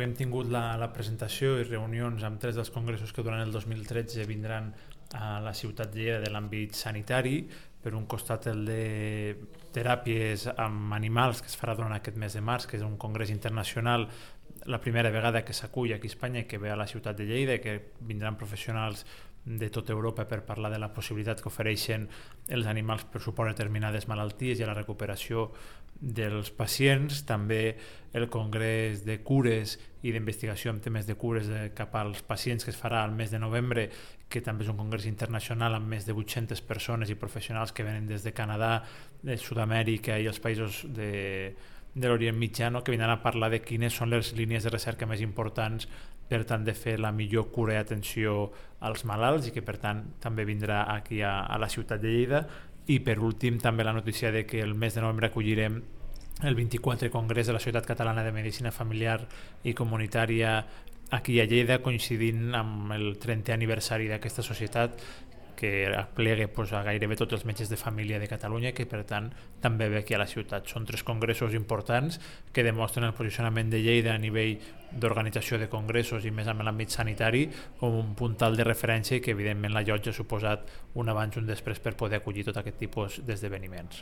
avui hem tingut la presentació i reunions amb 3 dels congressos que durant el 2013 vindran a la ciutat de Lleida de l'àmbit sanitari. Per un costat el de teràpies amb animals, que es farà durant aquest mes de març, que és un congrés internacional, la primera vegada que s'acull aquí a Espanya, que ve a la ciutat de Lleida, que vindran professionals de tota Europa per parlar de la possibilitat que ofereixen els animals per suport a determinades malalties i a la recuperació dels pacients. També el Congrés de Cures i d'Investigació en temes de cures cap als pacients, que es farà al mes de novembre, que també és un congrés internacional amb més de 800 persones i professionals que venen des de Canadà, de Sud-amèrica i els països de l'Orient Mitjà, que vindran a parlar de quines són les línies de recerca més importants per tant de fer la millor cura i atenció als malalts, i que per tant també vindrà aquí a la ciutat de Lleida. I per últim també la notícia de que el mes de novembre acollirem el 24è Congrés de la Societat Catalana de Medicina Familiar i Comunitària aquí a Lleida, coincidint amb el 30è aniversari d'aquesta societat, que aplega a gairebé tots els metges de família de Catalunya, que per tant també ve aquí a la ciutat. Són 3 congressos importants que demostren el posicionament de Lleida a nivell d'organització de congressos i més en l'àmbit sanitari com un puntal de referència, i que evidentment la Llotja ha suposat un abans i un després per poder acollir tot aquest tipus d'esdeveniments.